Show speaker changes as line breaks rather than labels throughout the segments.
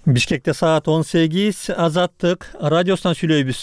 Бишкекте саат 18, Азаттык радиосунан сүйлөйбүз.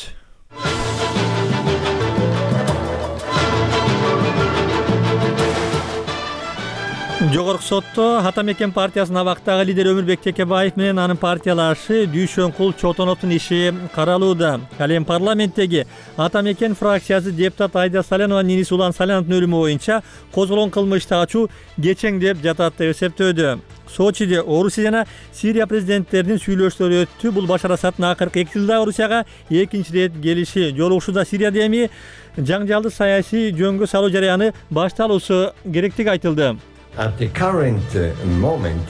Жогорку сотто Атамекен партиясынын абактагы лидери Өмүрбек Текебаев менен анын партиялашы Дүйшөнкул Чотоновдун иши каралууда. Ал эми парламенттеги Атамекен фракциясы депутат Айда Салянованын иниси Улан Саляновдун өлүмү боюнча козголгон кылмышты ачуу кечең деп жатат деп эсептөөдө. Сочиде Орусия жана Сирия президенттеринин сүйлөшүүлөрү өттү. Бул Башар Асаддын акыркы 2 жылда Орусияга экинчи ирет келиши. Жолугушууда Сирияда эми жаңжалды саясий жөнгө салуу жараяны башталуусу керектиги айтылды.
At the current moment,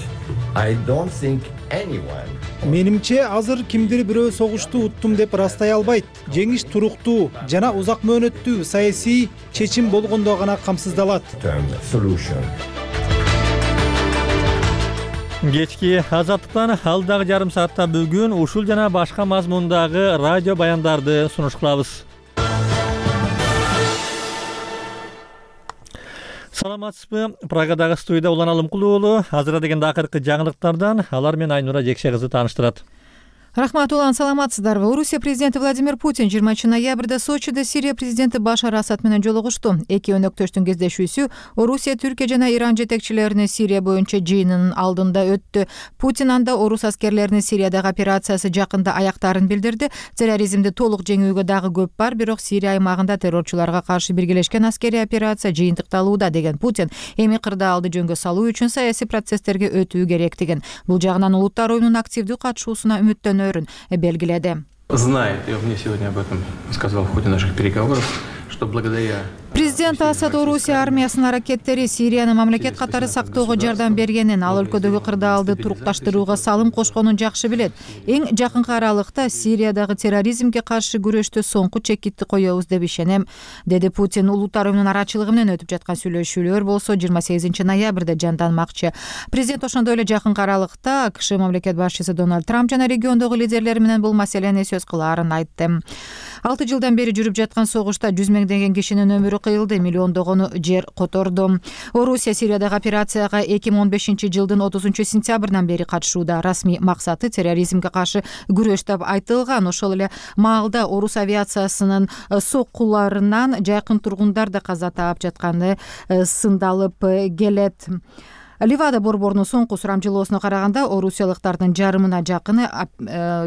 I don't think anyone.
Менимче азыр кимдир бирөө согушту уттум деп растай албайт. Жеңиш туруктуу жана узак мөөнөттүү саясий чечим болгондо гана камсыздалат.
Кечки Азаттыктан алдагы жарым саатта бүгүн ушул жана башка мазмундагы радио баяндарды сунуш кылабыз. Саламатсызбы? Прагадагы студияда Улан Алымкулуу уулу. Азыр дегенде акыркы жаңылыктардан алар менен Айнура Жекше кызы тааныштырат.
Рахмат, Улан, саламатсыздарбы? Орусия президенти Владимир Путин 20 ноябрда Сочиде Сирия президенти Башар Асад менен жолугушту. Эки өнөктөштүн кездешүүсү Орусия, Түркия жана Иран жетекчилеринин Сирия боюнча жыйынынын алдында өттү. Путин анда орус аскерлеринин Сириядагы операциясы жакында аяктарын билдирди. Терроризмди толук жеңүүгө дагы көп бар, бирок Сирия аймагында террорчуларга каршы биргелешкен аскерий операция жыйынтыкталууда деген Путин эми кырдаалды жөнгө салуу үчүн саясий процесстерге өтүү керектигин, бул жагынан улуттар оюнунун активдүү катышуусуна үмүттөнөөрүн белгиледи.
Знает, и он мне сегодня об этом сказал в ходе наших переговоров, что благодаря...
Президент Асад Орусия армиясынын аракеттери Сирияны мамлекет катары сактоого жардам бергенин, ал өлкөдөгү кырдаалды турукташтырууга салым кошконун жакшы билет. Эң жакынкы аралыкта Сириядагы терроризмге каршы күрөштө соңку чекитти коебуз деп ишенем, деди Путин. Улуттар оюнунун арачылыгы менен өтүп жаткан сүйлөшүүлөр болсо 28 ноябрда жанданмакчы. Президент ошондой эле жакынкы аралыкта АКШ мамлекет башчысы Дональд Трамп жана региондогу лидерлер менен бул маселени сөз кылаарын айтты. 6 жылдан бери жүрүп жаткан согушта 100 миңдеген кишинин өмүрү кыйылды, миллиондогону жер которду. Орусия Сириядагы операцияга 2015 жылдын 30 сентябрынан бери катышууда. Расмий максаты терроризмге каршы күрөш деп айтылган. Ошол эле маалда орус авиациясынын соккуларынан жакын тургундар да каза таап жатканы сындалып келет. Ливада борборунун соңку сурамжылоосуна караганда орусиялыктардын жарымына жакыны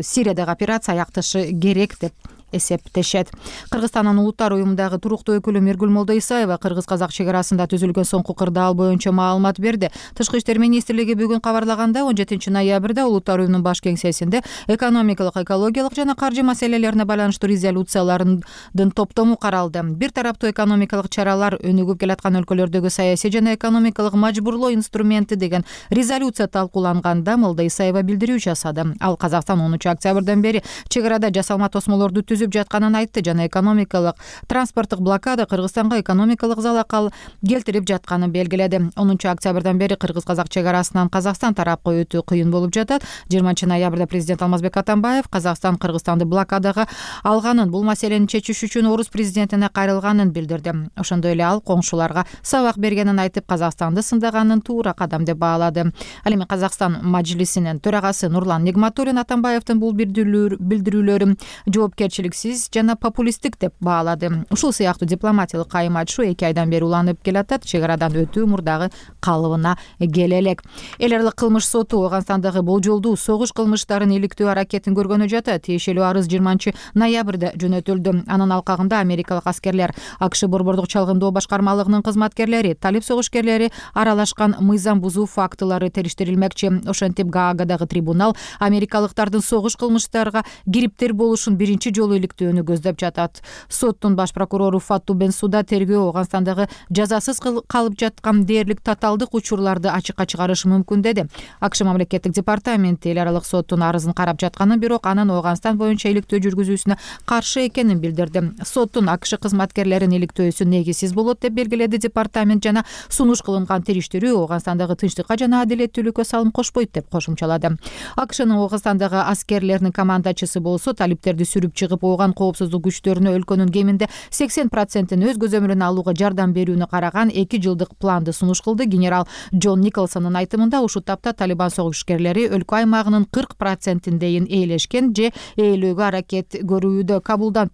Сириядагы операция аякташы керек деп эсептешет. Кыргызстандын улуттар уюмундагы туруктуу өкүлү Миргүл Молдоисаева кыргыз-казак чек арасында түзүлгөн соңку кырдаал боюнча маалымат берди. Тышкы иштер министрлиги бүгүн кабарлагандай 17 ноябрда улуттар уюмунун баш кеңсесинде экономикалык, экологиялык жана каржы маселелерине байланыштуу резолюциялардын топтому каралды. Бир тараптуу экономикалык чаралар өнүгүп келаткан өлкөлөрдөгү саясий жана экономикалык мажбурлоо инструменти деген резолюция талкууланганда Молдоисаева билдирүү жасады. Ал Казакстан 10 октябрдан бери чек арада жасалма тосмолорду түзүп жатканын айтты жана экономикалык транспорттук блокада Кыргызстанга экономикалык залал келтирип жатканын белгиледи. 10 октябрдан бери кыргыз-казак чек арасынан Казакстан тарапка өтүү кыйын болуп жатат. 20 ноябрда президент Алмазбек Атамбаев Казакстан Кыргызстанды блокадага алганын, бул маселени чечиш үчүн орус президентине кайрылганын билдирди. Ошондой эле ал коңшуларга сабак бергенин айтып, Казакстанды сындаганын туура кадам деп баалады. Ал эми Казакстан мажлисинин төрагасы Нурлан Нигматуллин Атамбаевдин бул билдирүүлөрүн жоопкерчилик жана популисттик деп баалады. Ушул сыяктуу дипломатиялык кайым айтышуу 2 айдан бери уланып келатат. Чек арадан өтүү мурдагы калыбына келе элек. Эл аралык кылмыш соту Ооганстандагы болжолдуу согуш кылмыштарын иликтөө аракетин көргөнү жатат. Тиешелүү арыз 20 ноябрда жөнөтүлдү. Анын алкагында америкалык аскерлер, АКШ борбордук чалгындоо башкармалыгынын кызматкерлери, талип согушкерлери аралашкан мыйзам бузуу фактылары териштирилмекчи. Ошентип Гаагадагы трибунал америкалыктардын согуш кылмыштарга кириптер болушун биринчи жолу иликтөөнү көздөп жатат. Соттун баш прокурору Фатту Бенсуда тергөө Ооганстандагы жазасыз калып жаткан дээрлик татаалдык учурларды ачыкка чыгарышы мүмкүн деди. АКШ мамлекеттик департаменти эл аралык соттун арызын карап жатканын, бирок анын Ооганстан боюнча иликтөө жүргүзүүсүнө каршы экенин билдирди. Соттун АКШ кызматкерлеринин иликтөөсү негизсиз болот деп белгиледи департамент жана сунуш кылынган териштирүү Ооганстандагы тынчтыкка жана адилеттүүлүккө салым кошпойт деп кошумчалады. АКШнын Ооганстандагы аскерлеринин командачысы болсо талиптерди сүрүп чыгып койгон коопсуздук күчтөрүнө өлкөнүн кеминде 80% өз көзөмөлүнө алууга жардам берүүнү караган 2 жылдык планды сунуш кылды. Генерал Джон Николсондун айтымында ушул тапта Талибан согушкерлери өлкө аймагынын 40%-дейин ээлешкен же ээлөөгө аракет көрүүдө. Кабулдан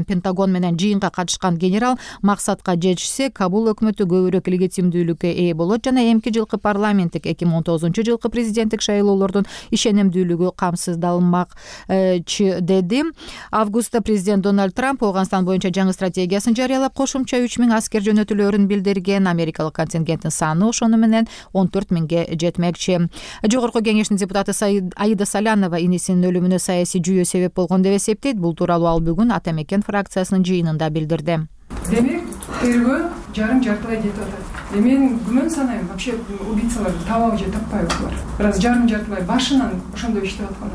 Пентагон менен жыйынга катышкан генерал максатка жетишсе, Кабул өкмөтү көбүрөөк легитимдүүлүккө ээ болот жана эмки жылкы парламенттик 2019-жылкы президенттик шайлоолордун ишенимдүүлүгү камсыздалмак деди. Августта президент Дональд Трамп Афганистан боюнча жаңы стратегиясын жарыялап, кошумча 3000 аскер жөнөтүлөөрүн билдирген. Америкалык контингенттин саны ошону менен 14 000 жетмекчи. Жогорку кеңештин депутаты Аида Салянова инисинин өлүмүнө саясий жүйө себеп болгон деп эсептейт. Бул тууралуу ал бүгүн Атамекен фракциясынын жыйынында билдирди.
Демек, тергөө жарым-жартылай кетип атат. Мен күмөн санайм, вообще убийцаларды табабы же таппайбы булар. Бираз жарым-жартылай башынан ошондой иштеп аткан.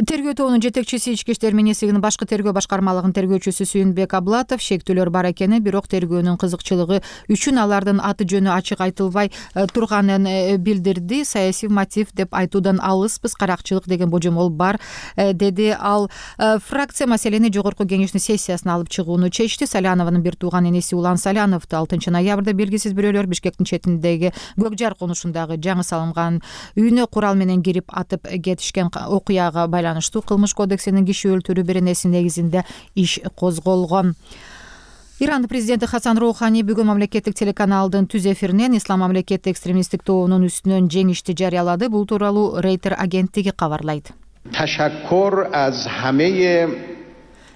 Тергөө тобунун жетекчиси Ички иштер министрлигинин башкы тергөө башкармалыгынын тергөөчүсү Сүйүнбек Аблатов шектүүлөр бар экени, бирок тергөөнүн кызыкчылыгы үчүн алардын аты жөнү ачык айтылбай турганын билдирди. Саясий мотив деп айтуудан алыспыз, каракчылык деген божомол бар, деди ал. Фракция маселени жогорку кеңештин сессиясына алып чыгууну чечти. Салянованын бир тууган эниси Улан Саляновду 6 ноябрда белгисиз бирөөлөр Бишкектин четиндеги Көк Жар конушундагы жаңы салынган үйүнө курал менен кирип атып кетишкен окуяга байланыштуу Кылмыш кодексинин киши өлтүрүү беренеси негизинде иш козголгон. Иран президенти Хасан Роухани бүгүн мамлекеттик телеканалдын түз эфиринен ислам мамлекети экстремисттик тобунун үстүнөн жеңишти жарыялады. Бул тууралуу Рейтер агенттиги кабарлайт.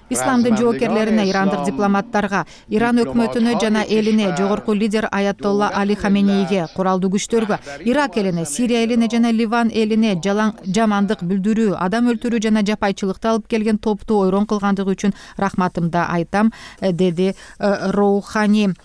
Исламдын жоокерлерине, ирандык дипломаттарга, Иран өкмөтүнө жана элине, жогорку лидер Аятолла Али Хаменейге, куралдуу күчтөргө, Ирак элине, Сирия элине жана Ливан элине жамандык билдирүү, адам өлтүрүү жана жапайчылыкты алып келген топту ойрон кылгандыгы үчүн рахматымды айтам, деди Роухани.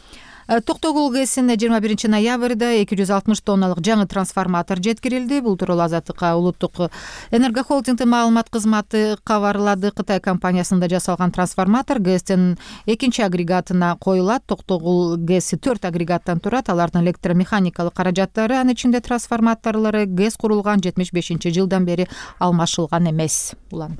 Токтогул ГЭСине 21 ноябрда 260 тонналык жаңы трансформатор жеткирилди. Бул тууралуу Азаттыкка улуттук энергохолдингдин маалымат кызматы кабарлады. Кытай компаниясында жасалган трансформатор ГЭСтин 2 агрегатына коюлат. Токтогул ГЭСи 4 агрегаттан турат. Алардын электромеханикалык каражаттары, анын ичинде трансформаторлору ГЭС курулган 75-жылдан бери алмашылган эмес. Улан.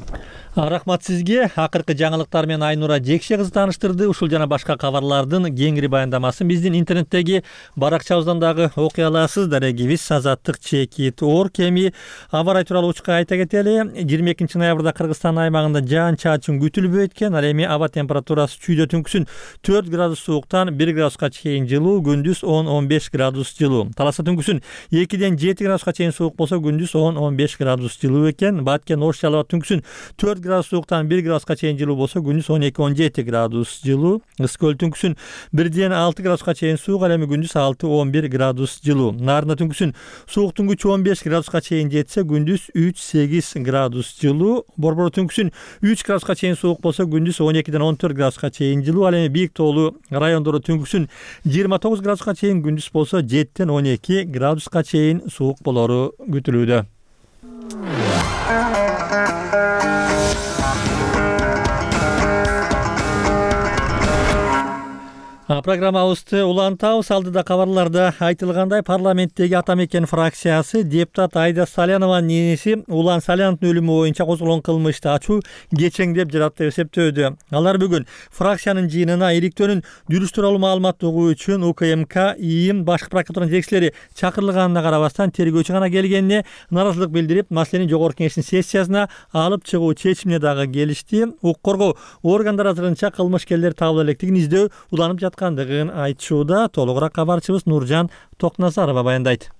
Рахмат сизге. Акыркы жаңылыктар менен Айнура Жекше кызы тааныштырды. Ушул жана башка кабарлардын кеңири баяндамасы биздин интернеттеги баракчабыздан дагы окуй аласыз. Дарегибиз azattik.org. Эми аба ырайы тууралуу учка айта кетели. 22 ноябрда Кыргызстан аймагында жаан-чачын күтүлбөйт экен. Ал эми аба температурасы чүйдө түнкүсүн 4 градус сууктан 1 градуска чейин жылуу, күндүз 10-15 градус жылуу. Таласта түнкүсүн 2-ден 7 градуска чейин суук болсо, күндүз 10-15 градус жылуу экен. Баткен Ош Жалал түнкүсүн 4 градус сууктан 1 градуска чейин жылуу болсо, күндүз 12-17 градус жылуу. Ыск Көл түнкүсүн 1-ден 6 градуска чейин суук, ал эми күндүз 6-11 градус жылуу. Нарында түнкүсүн сууктун күчү 15 градуска чейин жетсе, күндүз 3-8 градус жылуу. Борбор түнкүсүн 3 градуска чейин суук болсо, күндүз 12-ден 14 градуска чейин жылуу. Ал эми бийик тоолуу райондору түнкүсүн 29 градуска чейин, күндүз болсо 7-ден 12 градуска чейин суук болору күтүлүүдө. Программабызды улантабыз. Алдыда кабарларда айтылгандай, парламенттеги Атамекен фракциясы депутат Аида Салянованын эниси Улан Саляновдун өлүмү боюнча козголгон кылмышты ачуу кечеңдеп жатат деп эсептөөдө. Алар бүгүн фракциянын жыйынына иликтөөнүн дурус тууралуу маалымат угуу үчүн УКМК, ИИМ, башкы прокуратуранын жетекчилери чакырылганына карабастан тергөөчү гана келгенине нааразылык билдирип, маселени жогорку кеңештин сессиясына алып чыгуу чечимине дагы келишти. Укук коргоо органдары азырынча кылмышкерлер табыла электигин издөө уланып жаткандыгын айтышууда. Толугураак кабарчыбыз Нуржан Токназарова баяндайт.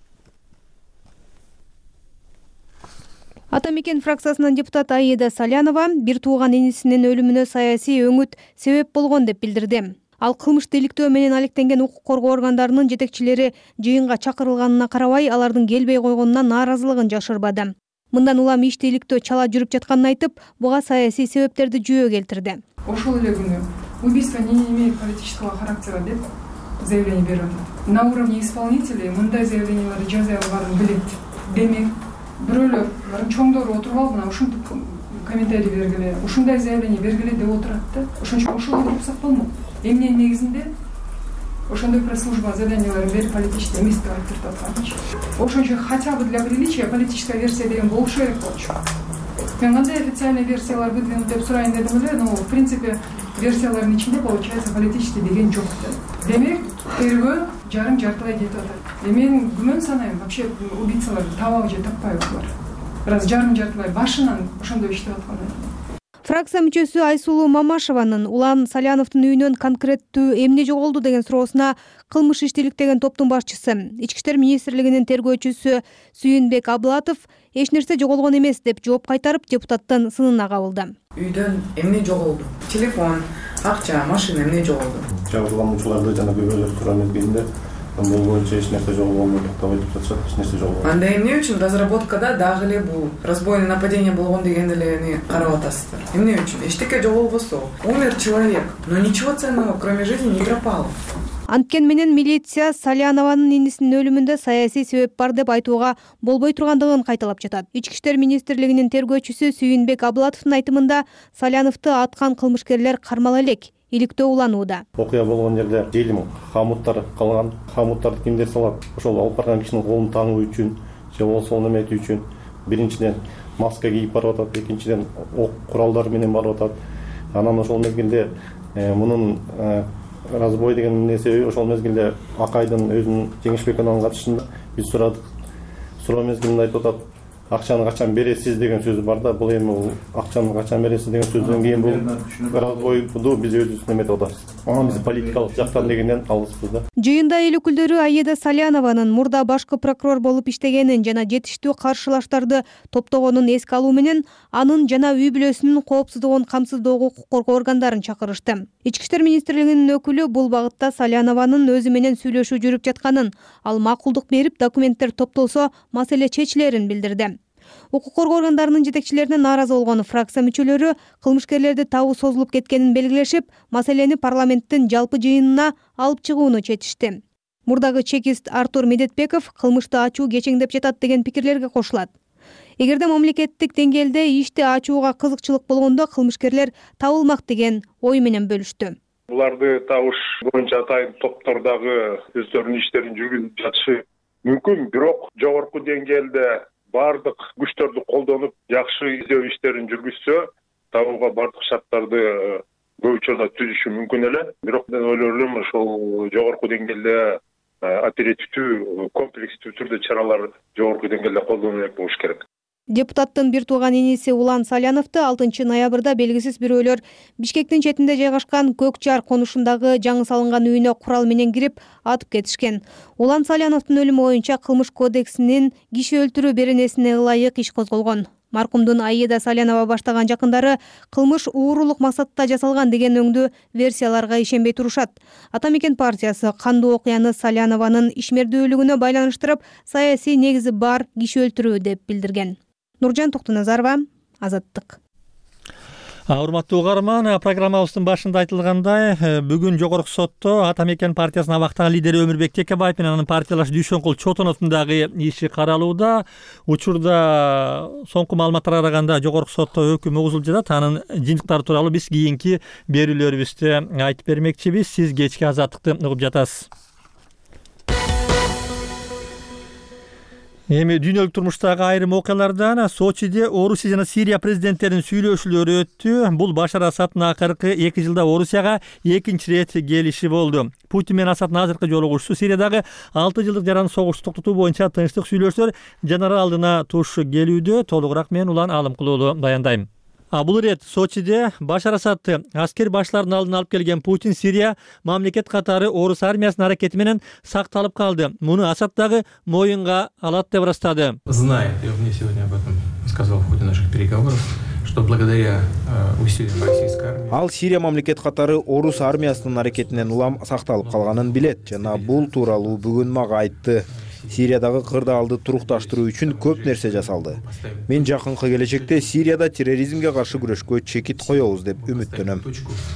Атамекен фракциясынын депутаты Аида Салянова бир тууган энисинин өлүмүнө саясий өңүт себеп болгон деп билдирди. Ал кылмышты иликтөө менен алектенген укук коргоо органдарынын жетекчилери жыйынга чакырылганына карабай, алардын келбей койгонуна нааразылыгын жашырбады. Мындан улам ишти иликтөө чала жүрүп жатканын айтып, буга саясий себептерди жүйө келтирди.
Ошол эле күнү убийство не имеет политического характера деп заявление берип атат. На уровне исполнителей мындай заявленияларды жаза албарын билет. Демек, бирөөлөр чоңдору отуруп алып, мына ушинтип комментарий бергиле, ушундай заявление бергиле деп отурат да. Ошон үчүн ошол кылсак болмок. Эмненин негизинде ошондой пресс-служба заданияларын берип политический эмес деп айтып атканчы. Ошончо хотя бы для приличия политическая версия деген болушу керек болчу. Мен кандай официальный версиялар выдвинут деп сурайын дедим эле, но в принципе версиялардын ичинде получается политический деген жок да. Демек, тергөө жартылай кетип атат. Мен күмөн санайм, вообще убийцаларды табабы же таппайбы булар. Раз жартылай башынан ошондой иштеп аткандан кийин.
Фракция мүчөсү Айсулуу Мамашеванын Улан Саляновдун үйүнөн конкреттүү эмне жоголду деген суроосуна кылмыш иштеликтеген топтун башчысы, Ички иштер министрлигинин тергөөчүсү Сүйүнбек Аблатов эч нерсе жоголгон эмес деп жооп кайтарып, депутаттын сынына кабылды.
Үйдөн эмне жоголду? Телефон, акча, машина эмне жоголду?
Жабырлануучуларды жана күбөлөр суроо мезгилинде бул боюнча эч нерсе жоголгон деп айтып жатышат, эч нерсе жоголгон.
Анда эмне үчүн разработкада дагы эле бул разбойный нападение болгон деген эле карап атасыздар? Эмне үчүн? Эчтеке жоголбосо, умер человек, но ничего ценного кроме жизни не пропало.
Анткени менен милиция Салянованын инисинин өлүмүндө саясий себеп бар деп айтууга болбой тургандыгын кайталап жатат. Ички иштер министрлигинин тергөөчүсү Сүйүнбек Аблатовдун айтымында Саляновду аткан кылмышкерлер кармала элек, иликтөө уланууда.
Окуя болгон жерде желим хамуттар калган. Хамуттарды кимдер салат? Ошол алып барган кишинин колун таңуу үчүн, же болбосо неметүү үчүн биринчиден маска кийип барып атат, экинчиден ок куралдары менен барып атат. Анан ошол мезгилде мунун разбой деген нерсе ошол мезгилде Акайдын өзүнүн Жеңишбековдун катышында биз сурадык. Суроо мезгилинде айтып атат, акчаны качан бересиз деген сөзү бар да, бул эми акчаны качан бересиз деген сөздөн кийин бул разбойду биз өзүбүз неметип атабыз. Анан биз политикалык жактан дегенден алыспыз да.
Жыйында эл өкүлдөрү Аида Салянованын мурда башкы прокурор болуп иштегенин жана жетиштүү каршылаштарды топтогонун эске алуу менен анын жана үй бүлөсүнүн коопсуздугун камсыздоого укук коргоо органдарын чакырышты. Ички иштер министрлигинин өкүлү бул багытта Салянованын өзү менен сүйлөшүү жүрүп жатканын, ал макулдук берип документтер топтолсо маселе чечилерин билдирди. Укук коргоо органдарынын жетекчилерине нааразы болгон фракция мүчөлөрү кылмышкерлерди табуу созулуп кеткенин белгилешип, маселени парламенттин жалпы жыйынына алып чыгууну чечишти. Мурдагы чекист Артур Медетбеков кылмышты ачуу кечеңдеп жатат деген пикирлерге кошулат. Эгерде мамлекеттик деңгээлде ишти ачууга кызыкчылык болгондо кылмышкерлер табылмак деген ой менен бөлүштү.
Буларды табыш боюнча атайын топтордогу өздөрүнүн иштерин жүргүзүп жатышы мүмкүн, бирок жогорку деңгээлде бардык күчтөрдү колдонуп жакшы издөө иштерин жүргүзсө, табууга бардык шарттарды көп учурда түзүшү мүмкүн эле. Бирок мен ойлойм, ошол жогорку деңгээлде оперативдүү, комплекстүү түрдө чаралар жогорку деңгээлде колдонулат болуш керек.
Депутаттын бир тууган иниси Улан Саляновду 6 ноябрда белгисиз бирөөлөр Бишкектин четинде жайгашкан Көк Жар конушундагы жаңы салынган үйүнө курал менен кирип атып кетишкен. Улан Саляновдун өлүмү боюнча Кылмыш кодексинин киши өлтүрүү беренесине ылайык иш козголгон. Маркумдун Аида Салянова баштаган жакындары кылмыш уурулук максатта жасалган деген өңдүү версияларга ишенбей турушат. Ата Мекен партиясы кандуу окуяны Салянованын ишмердүүлүгүнө байланыштырып, саясий негизи бар киши өлтүрүү деп билдирген. Нуржан Токтоназарова, Азаттык.
Урматтуу угарман, программабыздын башында айтылгандай, бүгүн жогорку сотто Ата Мекен партиясынын абактагы лидери Өмүрбек Текебаев менен анын партиялашы Дүйшөнкул Чотоновдун дагы иши каралууда. Учурда соңку маалыматтарга караганда жогорку сотто өкүм угузулуп жатат. Анын жыйынтыктары тууралуу биз кийинки берүүлөрүбүздө айтып бермекчибиз. Сиз кечки Азаттыкты угуп жатасыз. Эми дүйнөлүк турмуштагы айрым окуялардан Сочиде Орусия жана Сирия президенттеринин сүйлөшүүлөрү өттү. Бул Башар Асаддын акыркы 2 жылда Орусияга экинчи ирет келиши болду. Путин менен Асаддын азыркы жолугушуусу Сириядагы 6 жылдык жаран согушту токтотуу боюнча тынчтык сүйлөшүүлөр жанары алдына туш келүүдө. Толугураак мен Улан Алымкулуулу баяндайм. Бул ирет Сочиде Башар Асадды аскер башларынын алдына алып келген Путин Сирия мамлекет катары Орус армиясынын аракети менен сакталып калды. Муну Асад дагы моюнга алат деп ырастады.
Знает, я мне сегодня об этом сказал в ходе наших переговоров, что благодаря усилиям российской армии
ал Сирия мамлекет катары Орус армиясынын аракетинен улам сакталып калганын билет жана бул тууралуу бүгүн мага айтты. Сириядагы кырдаалды турукташтыруу үчүн көп нерсе жасалды. Мен жакынкы келечекте Сирияда терроризмге каршы күрөшкө чекит коебуз деп үмүттөнөм.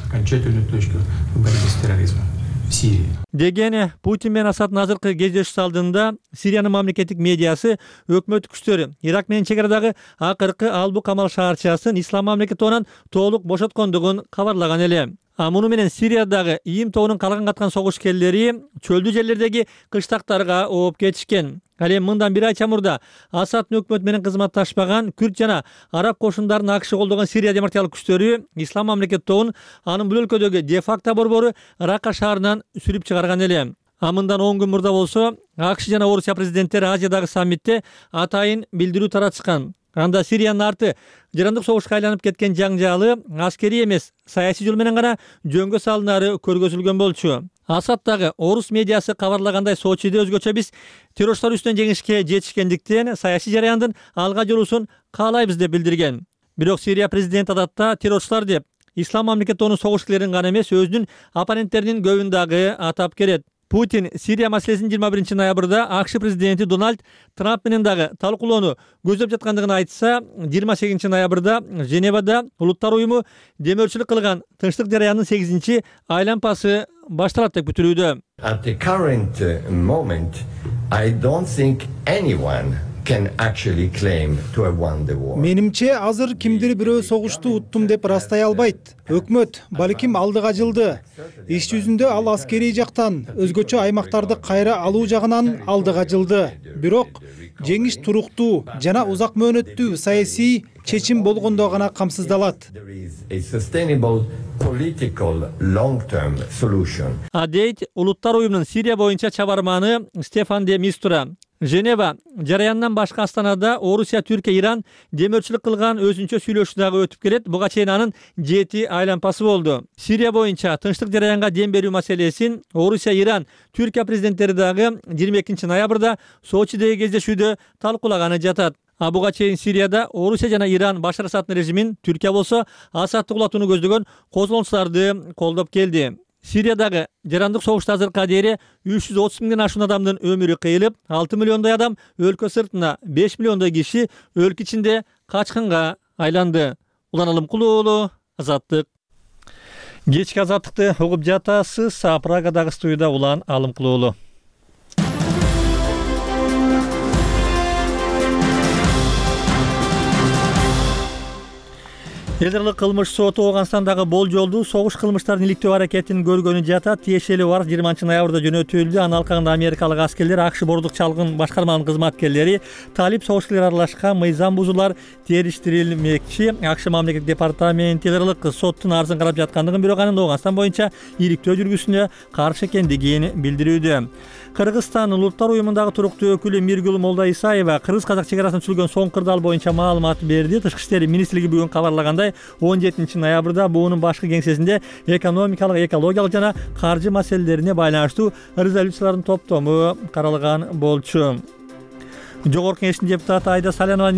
Окончательную точку в борьбе с терроризмом в Сирии.
Деген Путин менен Асаддын азыркы кездешүүсү алдында Сириянын мамлекеттик медиасы өкмөт күчтөрү Ирак менен чек арадагы акыркы Албу Камал шаарчасын Ислам мамлекети тобунан толук бошоткондугун кабарлаган эле. Муну менен Сириядагы ИИМ тобунун калган каткан согушкерлери чөлдүү жерлердеги кыштактарга ооп кетишкен. Ал эми мындан бир ай чамурда Асаддын өкмөтү менен кызматташпаган күрд жана араб кошундарын АКШ колдогон Сирия демократиялык күчтөрү Ислам мамлекет тобун анын бул өлкөдөгү де-факто борбору Рака шаарынан сүрүп чыгарган эле. Мындан 10 күн мурда болсо АКШ жана Орусия президенттери Азиядагы саммитте атайын билдирүү таратышкан. Анда Сириянын арты жарандык согушка айланып кеткен жаңжалы аскерий эмес, саясий жол менен гана жөнгө салынары көргөзүлгөн болчу. Асаддагы орус медиасы кабарлагандай Сочиде өзгөчө биз террорчулар үстүнөн жеңишке жетишкендиктен саясий жараяндын алга жүрүүсүн каалайбыз деп билдирген. Бирок Сирия президенти адатта террорчулар деп Ислам мамлекет тобунун согушкерлерин гана эмес, өзүнүн оппоненттеринин көбүн дагы атап келет. Путин Сирия маселесин 21 ноябрда АКШ президенти Дональд Трамп менен дагы талкуулоону көздөп жаткандыгын айтса, 28 ноябрда Женевада Улуттар уюму демөөрчүлүк кылган тынчтык жараянынын 8 айлампасы башталат деп күтүлүүдө.
At the current moment, I don't think anyone can actually claim to have won the war.
Менимче азыр кимдир бирөө согушту уттум деп ырастай албайт. Өкмөт балким алдыга жылды. Иш жүзүндө ал аскерий жактан, өзгөчө аймактарды кайра алуу жагынан алдыга жылды. Бирок жеңиш туруктуу жана узак мөөнөттүү саясий чечим болгондо гана камсыздалат.
There is a sustainable political long-term solution.
Дейт Улуттар уюмунун Сирия боюнча чабарманы Стефан де Мистура. Женева жараяндан башка астанада Орусия, Түркия, Иран демөөрчүлүк кылган өзүнчө сүйлөшүү дагы өтүп келет. Буга чейин анын 7 айлампасы болду. Сирия боюнча тынчтык жараянга дем берүү маселесин Орусия, Иран, Түркия президенттери дагы 22 ноябрда Сочидеги кездешүүдө талкуулаганы жатат. Буга чейин Сирияда Орусия жана Иран Башар Асаддын режимин, Түркия болсо Асадды кулатууну көздөгөн козголоңчуларды колдоп келди. Сириядагы жарандык согушта азыркыга дейин 330 миңден ашуун адамдын өмүрү кыйылып, 6 миллиондой адам өлкө сыртына, 5 миллиондой киши өлкө ичинде качкынга айланды. Улан Алымкулуу, Азаттык. Кечки Азаттыкты угуп жатасыз. Прагадагы студияда Улан Алымкулуу. Элдерлик кылмыш соту Ооганстандагы болжолдуу согуш кылмыштарын иликтөө аракетин көргөнү жатат. Тиешелүү арыз 20 ноябрда жөнөтүлдү. Анын алкагында америкалык аскерлер, АКШ бордук чалгын башкарманын кызматкерлери талип согушкерлер аралашкан мыйзам бузуулар териштирилмекчи. АКШ мамлекеттик департаменти элдерлик соттун арызын карап жаткандыгын, бирок анын Ооганстан боюнча иликтөө жүргүзүүсүнө каршы экендигин билдирүүдө. Кыргызстандын Улуттар уюмундагы туруктуу өкүлү Миргүл Молдаисаева кыргыз-казак чегарасын түзүлгөн соң кырдаал боюнча маалымат берди. Тышкы иштер министрлиги бүгүн кабарлагандай, 17 ноябрда буунун башкы кеңсесинде экономикалык, экологиялык жана каржы маселелерине байланыштуу резолюциялардын топтому каралган болчу. Жогорку Кеңештин депутаты Айда Салянова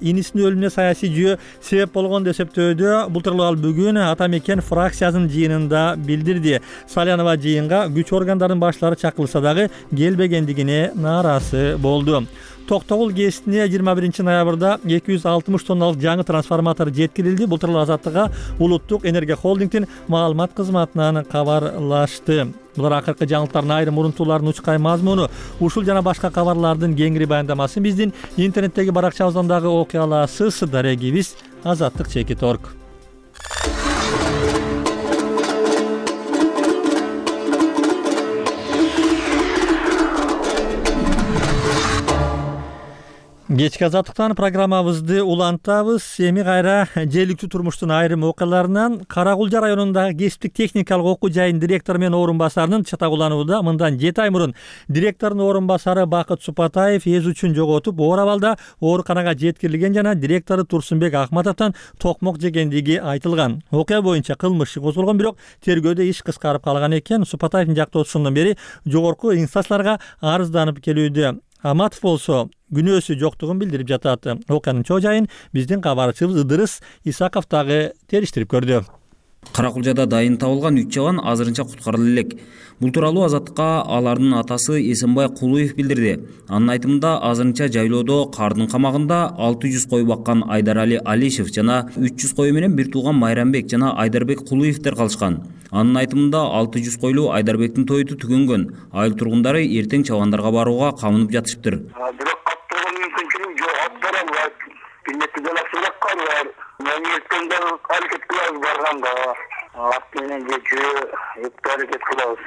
инисинин өлүмүнө саясий жүйө себеп болгон деп эсептөөдө. Бул тууралуу ал бүгүн Ата мекен фракциясынын жыйынында билдирди. Салянова жыйынга күч органдарынын баштары чакырылса дагы келбегендигине нааразы болду. Токтогул КЭСине 21 ноябрда 260 тонналык жаңы трансформатор жеткирилди. Бул тууралуу Азаттыкка Улуттук энергия холдингдин маалымат кызматынан кабарлашты. Булар акыркы жаңылыктардын айрым урунтууларынын учкай мазмуну. Ушул жана башка кабарлардын кеңири баяндамасын биздин интернеттеги баракчабыздан дагы окуй аласыз. Дарегибиз azattik.org. Кечки Азаттыктан программабызды улантабыз. Эми кайра жергиликтүү турмуштун айрым окуяларынан Каракулжа районундагы кесиптик техникалык окуу жайынын директору менен орун басарынын чатагуланууда. Мындан 7 ай мурун директордун орун басары Бакыт Супатаев эз үчүн жоготуп, оор абалда ооруканага жеткирилген жана директору Турсунбек Акматовдон токмок жегендиги айтылган. Окуя боюнча кылмыш козголгон, бирок тергөөдө иш кыскарып калган экен. Супатаевдин жактоочусундан бери жогорку инстанцияларга арызданып келүүдө. Аматов болсо күнөөсү жоктугун билдирип жатат. Окуянын чоо жайын биздин кабарчыбыз Ыдырыс Исаков дагы териштирип көрдү.
Каракулжада дайын табылган 3 жабан азырынча куткарылды элек. Бул тууралуу Азаттыкка алардын атасы Эсенбай Кулуев билдирди. Анын айтымында азырынча жайлоодо кардын камагында 600 кой баккан Айдарали Алишев жана 300 кой менен бир тууган Майрамбек жана Айдарбек Кулуевдер калышкан. Анын айтымында 600 койлуу Айдарбектин тойту түгөнгөн. Айыл тургундары эртең чабандарга барууга камынып жатышыптыр.
Бирок каттырган мүмкүнчүлүк жок, аттаралбайт. Билетти делапсырак калар. Мен эртеңден аракет кылабыз барганда. Ат менен же жөө өтпөй аракет кылабыз.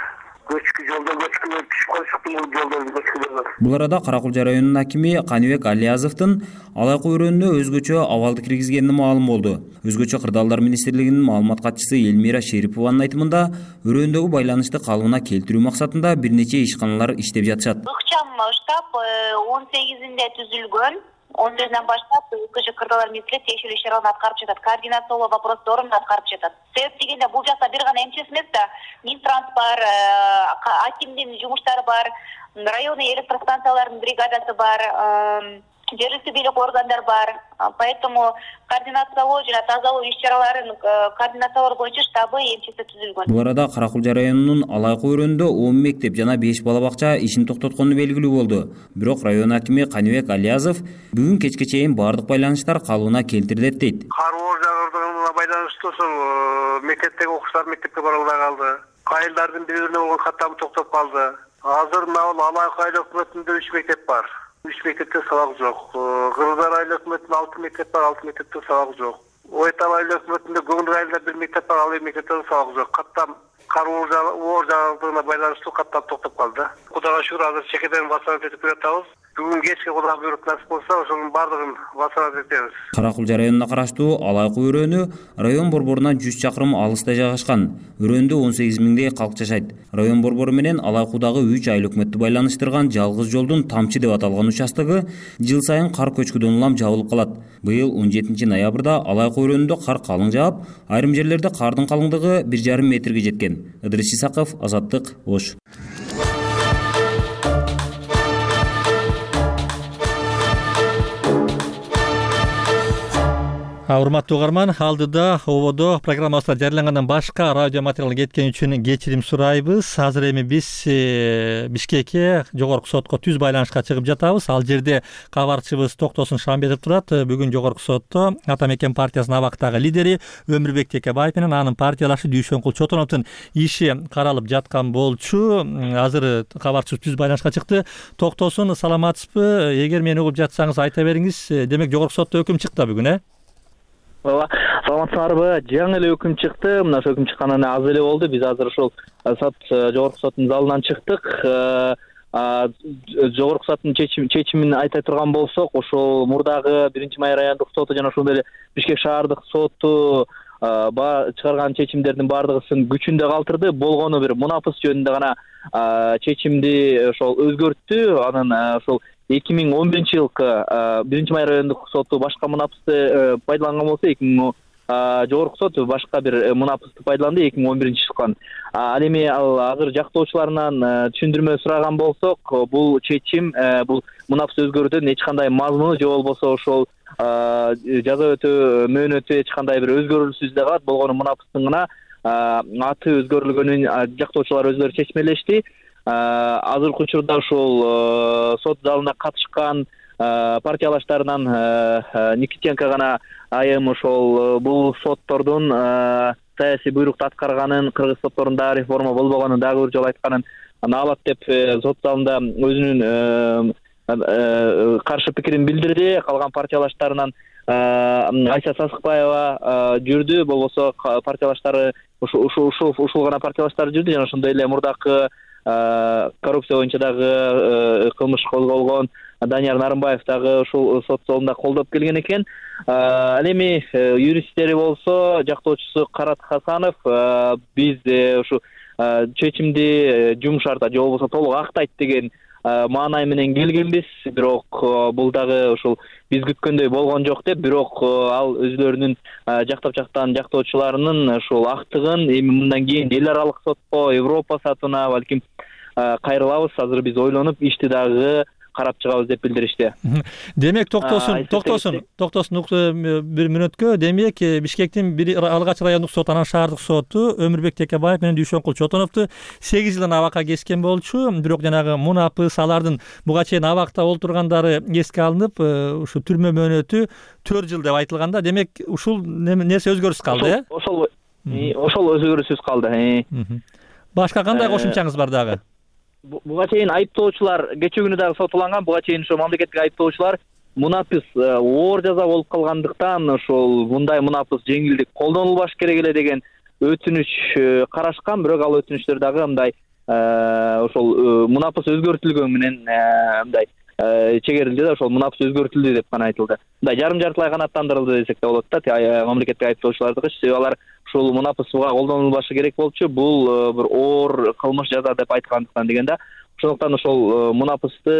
Көчкү жолдо көчкүлөр түшүп калышыптын, бул жолдорду көчкүлөр.
Бул арада Каракулча районунун акими Каныбек Алиязовдун Алайкы өрөөнүнө өзгөчө абалды киргизгени маалым болду. Өзгөчө кырдаалдар министрлигинин маалымат катчысы Элмира Шерипованын айтымында, өрөөндөгү байланышты калыбына келтирүү максатында бир нече ишканалар иштеп жатышат.
Ыкчам штаб 18-inde түзүлгөн. 14-ден баштап өзгөчө кырдаалдар министрлиги тиешелүү иш-чараларды аткарып жатат. Координациялоо вопросторун аткарып жатат. Себеп дегенде бул жакта бир гана МЧС эмес да, Минтранс бар, акимдин жумуштары бар, районный электростанциялардын бригадасы бар, жергиликтүү бийлик органдар бар. Поэтому координациялоо жана тазалоо иш-чараларын координациялоо боюнча штабы МЧС түзүлгөн.
Бул арада Каракулча районунун Алайкы өрөөнүндө 10 мектеп жана 5 бала бакча ишин токтоткону белгилүү болду. Бирок район акими Каныбек Алиязов бүгүн кечке чейин баардык байланыштар калыбына келтирилет дейт.
Кар жаагандыгына байланыштуу ошол мектептеги окуучулар мектепке бара албай калды. Айылдардын бири-бирине болгон каттамы токтоп калды. Азыр мына Алайкы айыл өкмөтүндө 3 мектеп бар. 3 мектепте сабак жок. Кыргыздар айыл өкмөтүндө 6 мектеп бар, 6 мектепте сабак жок. Ойтал айыл өкмөтүндө Көңүл айылда 1 мектеп бар, ал 1 мектепте сабак жок. Каттам кар жаагандыгына байланыштуу каттам токтоп калды. Кудайга шүгүр, азыр чекеден вассалат этип жатабыз. Бүгүн кечке Кудай буйрук насип болсо, ошонун баардыгын вассалат этебиз.
Каракулча районуна караштуу Алайкы өрөөнү район борборунан 100 чакырым алыста жайгашкан. Өрөөндө 18 миңдей калк жашайт. Район борбору менен Алайкудагы 3 айыл өкмөттү байланыштырган жалгыз жолдун Тамчы деп аталган участогу жыл сайын кар көчкүдөн улам жабылып калат. Быйыл 17 ноябрда Алайкы өрөөнүндө кар калың жаап, айрым жерлерде кардын калыңдыгы 1,5 метрге жеткен. Ыдырыс Исаков, Азаттык, Ош.
Урматтуу угарман, алдыда ободо программасында жарыялангандан башка радио материал кеткен үчүн кечирим сурайбыз. Азыр эми биз Бишкекке жогорку сотко түз байланышка чыгып жатабыз. Ал жерде кабарчыбыз Токтосун Шамбетов турат. Бүгүн жогорку сотто Ата Мекен партиясынын абактагы лидери Өмүрбек Текебаев менен анын партиялашы Дүйшөнкул Чотоновдун иши каралып жаткан болчу. Азыр кабарчыбыз түз байланышка чыкты. Токтосун, саламатсызбы? Эгер мени угуп жатсаңыз айта бериңиз. Демек жогорку сотто өкүм чыкты бүгүн,
Ооба, саламатсыздарбы? Жаңы эле өкүм чыкты. Мына ошол өкүм чыкканына аз эле болду. Биз азыр ошол жогорку соттун залынан чыктык. Жогорку соттун чечимин айта турган болсок, ошол мурдагы 1-май райондук соту жана ошондой эле Бишкек шаардык соту чыгарган чечимдердин баардыгысын күчүндө калтырды. Болгону бир мунапыс жөнүндө гана чечимди ошол өзгөрттү. Анан ошол 2011-жылкы 1-май райондук соту башка мунапысты пайдаланган болсо, жогорку сот башка бир мунапысты пайдаланды 2011-жылкы. Ал эми азыр жактоочуларынан түшүндүрмө сураган болсок, бул чечим, бул мунапыс өзгөрүүдөн эч кандай мазмуну же болбосо ошол жаза өтөө мөөнөтү эч кандай бир өзгөрүүсүз эле калат. Болгону мунапыстын гана аты өзгөрүлгөнүн жактоочулар өздөрү чечмелешти. Азыркы учурда ошол сот залына катышкан партиялаштарынан Никитенко гана айым ошол бул соттордун саясий буйрукту аткарганын, кыргыз сотторунда реформа болбогонун дагы бир жолу айтканын аалат деп сот залында өзүнүн каршы пикирин билдирди. Калган партиялаштарынан Айса Сасыкбаева жүрдү, болбосо партиялаштары ушул гана партиялаштар жүрдү жана ошондой эле мурдакы коррупция боюнча дагы кылмыш козголгон Данияр Нарымбаев дагы ушул сот залында колдоп келген экен. Ал эми юристтери болсо, жактоочусу Карат Хасанов биз ушу чечимди жумшарта же болбосо толук актайт деген маанай менен келгенбиз. Бирок бул дагы ушул биз күткөндөй болгон жок деп, бирок ал өзлөрүнүн жактап жаткан жактоочуларынын ушул актыгын эми мындан кийин эл аралык сотко, Европа сотуна балким кайрылабыз. Азыр биз ойлонуп ишти дагы карап чыгабыз деп билдиришти.
Демек Токтосун бир мүнөткө, демек Бишкектин Алгач райондук соту, анан шаардык соту Өмүрбек Текебаев менен Дүйшөнкул Чотоновду 8 жылдан абакка кескен болчу. Бирок жанагы мунапыс, алардын буга чейин абакта олтургандары эске алынып, ушу түрмө мөөнөтү 4 жыл деп айтылганда, демек ушул нерсе өзгөрүшсүз калды,
Ошол өзгөрүүсүз калды.
Башка кандай кошумчаңыз бар дагы?
Буга чейин айыптоочулар кечээ күнү дагы сотуланган. Буга чейин ошо мамлекеттик айыптоочулар мунапыс оор жаза болуп калгандыктан ошол мындай мунапыс жеңилдик колдонулбаш керек эле деген өтүнүч карашкан, бирок ал өтүнүчтөр дагы мындай ошол мунапыс өзгөртүлгөн менен мындай чегерилди да, ошол мунапыс өзгөртүлдү деп гана айтылды. Мындай жарым-жартылай канааттандырылды десек да болот да, мамлекеттик айыптоочулардыкы, себеби алар ушул мунапысга колдонулбашы керек болчу, бул бир оор кылмыш жаза деп айткандыктан деген да. Ошондуктан ошол мунапысты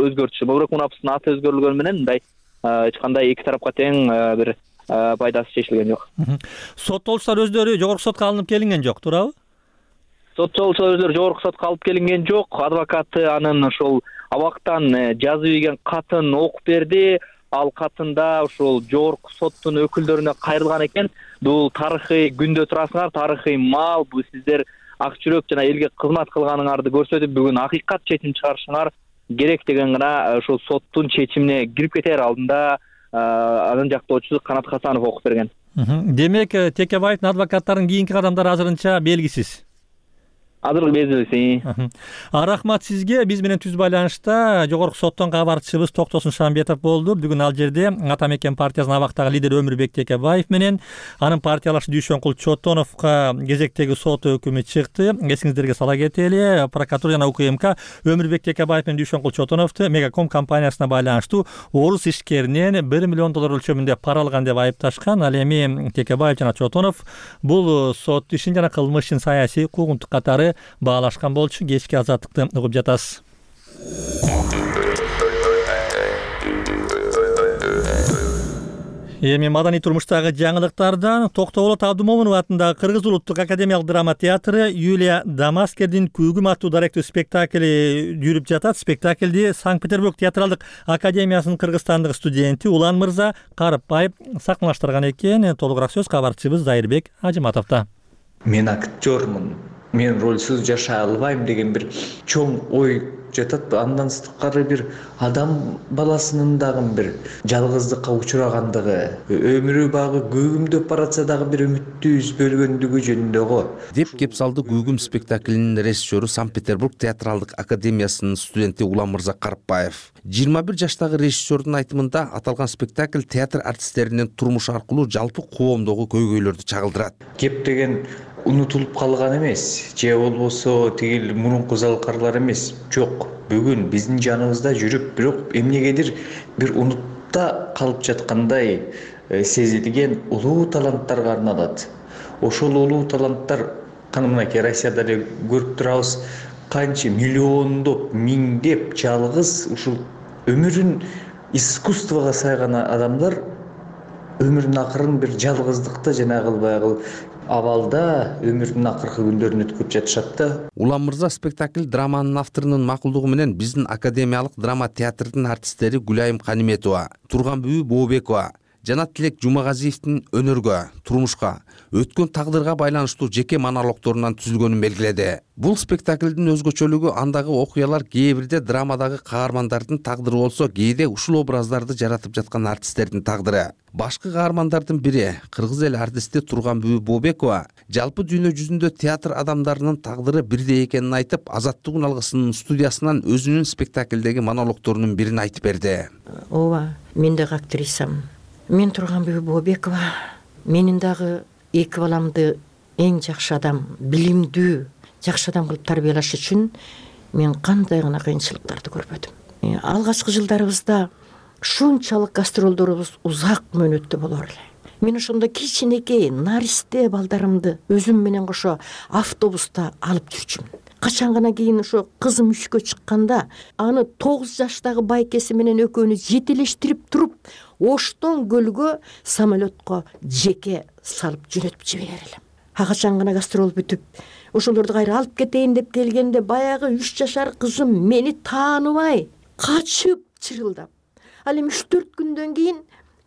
өзгөртүшү, бирок мунапыстын аты өзгөрүлгөнү менен мындай эч кандай эки тарапка тең бир пайдасы чечилген жок.
Соттолуучулар өздөрү жогорку сотко алынып келинген жок, туурабы?
Соттолуучулар өздөрү жогорку сотко алып келинген жок. Адвокаты анын ошол абактан жазып ийген катын окуп берди. Ал катында ошол жогорку соттун өкүлдөрүнө кайрылган экен. Бул тарыхый күндө турасыңар, тарыхый мал, бул сиздер ак жүрөк жана элге кызмат кылганыңарды көрсөтүп, бүгүн акыйкат чечим чыгарышыңар керек деген гана ошол соттун чечимине кирип кетер алдында анын жактоочусу Канат Хасанов окуп берген.
Демек, Текебаевдин адвокаттарынын кийинки кадамдары азырынча белгисиз.
Азыр белгисиз.
Рахмат сизге. Биз менен түз байланышта жогорку соттон кабарчыбыз Токтосун Шамбетов болду. Бүгүн ал жерде Ата Мекен партиясынын абактагы лидери Өмүрбек Текебаев менен анын партиялашы Дүйшөнкул Чотоновго кезектеги сот өкүмү чыкты. Эсиңиздерге сала кетели, прокуратура жана УКМК Өмүрбек Текебаев менен Дүйшөнкул Чотоновду Мегаком компаниясына байланыштуу орус ишкеринен $1 миллион өлчөмүндө пара алган деп айыпташкан. Ал эми Текебаев жана Чотонов бул сот ишин жана кылмыш ишин саясий куугунтук катары баалашкан болчу. Кечки азаттыкты угуп жатасыз. Эми маданий турмуштагы жаңылыктардан Токтогулот Абдымомунов атындагы Кыргыз улуттук академиялык драма театры Юлия Дамаскердин Күүгүм аттуу даректүү спектакли жүрүп жатат. Спектаклди Санкт-Петербург театралдык академиясынын Кыргызстандык студенти Улан Мырза Карыпбаев сахналаштырган экен. Толугураак сөз кабарчыбыз Зайырбек Ажыматовдо.
Мен актёрмун, мен ролсуз жашай албайм деген бир чоң ой жатат. Андан сырткары бир адам баласынын дагы бир жалгыздыкка учурагандыгы, өмүрү багы көгүмдөп баратса дагы бир үмүттү үзбөлгөндүгү жөнүндө го
деп кеп салды Күүгүм спектаклинин режиссеру Санкт-Петербург театралдык академиясынын студенти Улан Мырза Карыпбаев. 21 жаштагы режиссердун айтымында аталган спектакль театр артисттеринин турмуш аркылуу жалпы коомдогу көйгөйлөрдү чагылдырат.
Кеп деген унутулуп калган эмес, же болбосо тигил мурунку залкарлар эмес. Жок, бүгүн биздин жаныбызда жүрүп, бирок эмнегедир бир унутта калып жаткандай сезилген улуу таланттарга арналат. Ошол улуу таланттар мынакей Россияда эле көрүп турабыз, канча миллиондоп, миңдеп жалгыз ушул өмүрүн искусствого сайган адамдар өмүрүнүн акырын бир жалгыздыкта жанагы баягы абалда өмүрүнүн акыркы күндөрүн өткөрүп жатышат да.
Улан Мырза спектакль драманын авторунун макулдугу менен биздин академиялык драма театрдын артисттери Гүлайым Каниметова, Турганбүбү Бообекова жана Тилек Жумагазиевдин өнөргө, турмушка, өткөн тагдырга байланыштуу жеке монологдорунан түзүлгөнүн белгиледи. Бул спектаклдин өзгөчөлүгү андагы окуялар кээ бирде драмадагы каармандардын тагдыры болсо, кээде ушул образдарды жаратып жаткан артисттердин тагдыры. Башкы каармандардын бири кыргыз эл артисти Турганбүбү Бообекова жалпы дүйнө жүзүндө театр адамдарынын тагдыры бирдей экенин айтып, Азаттык алгысынын студиясынан өзүнүн спектаклдеги монологдорунун бирин айтып берди.
Ооба, мен дагы актрисамын. Мен Турганбүбү Бообекова. Менин дагы эки баламды эң жакшы адам, билимдүү, жакшы адам кылып тарбиялаш үчүн мен кандай гана кыйынчылыктарды көрбөдүм. Алгачкы жылдарыбызда шунчалык гастролдорубуз узак мөөнөттө болор эле. Мен ошондо кичинекей наристе балдарымды өзүм менен кошо автобуста алып жүрчүмүн. Качан гана кийин ошо кызым 3кө чыкканда, аны 9 жаштагы байкеси менен экөөнү жетелештирип туруп, Оштон көлгө самолетко жеке салып жөнөтүп жиберер элем. Качан гана гастрол бүтүп, ошолорду кайра алып кетейин деп келгенде, баягы 3 жашар кызым мени тааныбай, качып чырылдап, ал эми 3-4 күндөн кийин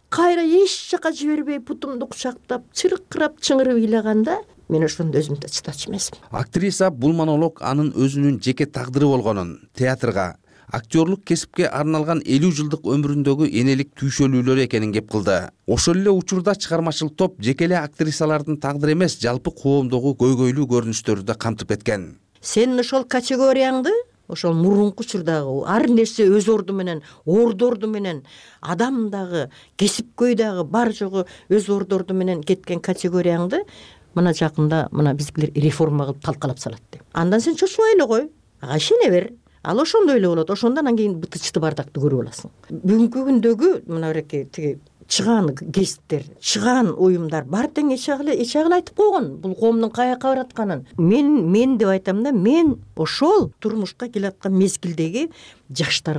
кайра эч жака жибербей путумду кучактап, чыркырап чыңырып ыйлаганда, мен ошондо өзүмдө чыдачу эмесмин.
Актриса бул монолог анын өзүнүн жеке тагдыры болгонун, театрга, актерлук кесипке арналган 50 жылдык өмүрүндөгү энелик түйшөлүүлөр экенин кеп кылды. Ошол эле учурда чыгармачыл топ жеке эле актрисалардын тагдыры эмес, жалпы коомдогу көйгөйлүү көрүнүштөрдү да камтып кеткен.
Сенин ошол категорияңды, ошол мурунку учурдагы ар нерсе өз ордорду менен, адам дагы, кесипкөй дагы бар жогу өз ордорду менен кеткен категорияңды мына жакында мына биздикилер реформа кылып талкалап салат деп. Андан сен чочубай эле кой, ага ишене бер. Ал ошондой эле болот. Ошондон анан кийин бытычты бардакты көрүп аласың. Бүгүнкү күндөгү мына береке тиги чыгаан гесттер, чыгаан уюмдар баары тең эч агыл айтып койгон бул коомдун каяка баратканын. Мен деп айтам да, мен ошол турмушка келаткан мезгилдеги жаштар